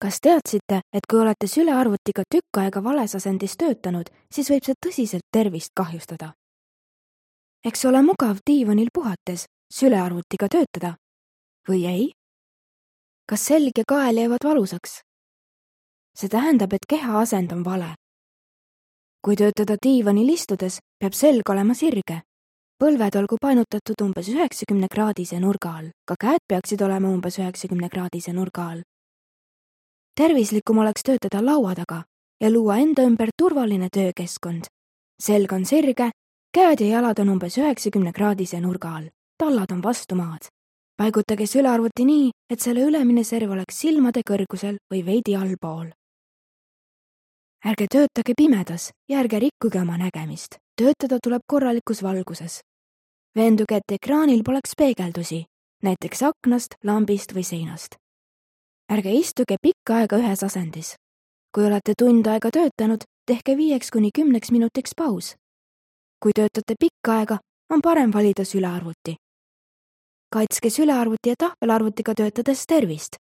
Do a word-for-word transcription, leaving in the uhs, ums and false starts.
Kas teadsite, et kui olete sülearvutiga tükk aega vales asendis töötanud, siis võib see tõsiselt tervist kahjustada? Eks ole mugav diivanil puhates sülearvutiga töötada? Või ei? Kas selg ja kael jäävad valusaks? See tähendab, et keha asend on vale. Kui töötada diivanil istudes, peab selg olema sirge. Põlved olgu painutatud umbes üheksakümne kraadise nurga all, ka käed peaksid olema umbes üheksakümne kraadise nurga all. Tervislikum oleks töötada laua taga ja luua enda ümber turvaline töökeskkond. Selg on sirge, käed ja jalad on umbes üheksakümne kraadise nurga all, tallad on vastu maad. Paigutage sülearvuti nii, et selle ülemine serv oleks silmade kõrgusel või veidi allpool. Ärge töötage pimedas ja ärge rikkuge oma nägemist. Töötada tuleb korralikus valguses. Veenduge, et ekraanil poleks peegeldusi, näiteks aknast, lambist või seinast. Ärge istuge pikka aega ühes asendis. Kui olete tund aega töötanud, tehke viieks kuni kümneks minutiks paus. Kui töötate pikka aega, on parem valida sülearvuti. Kaitske sülearvuti ja tahvelarvutiga töötades tervist.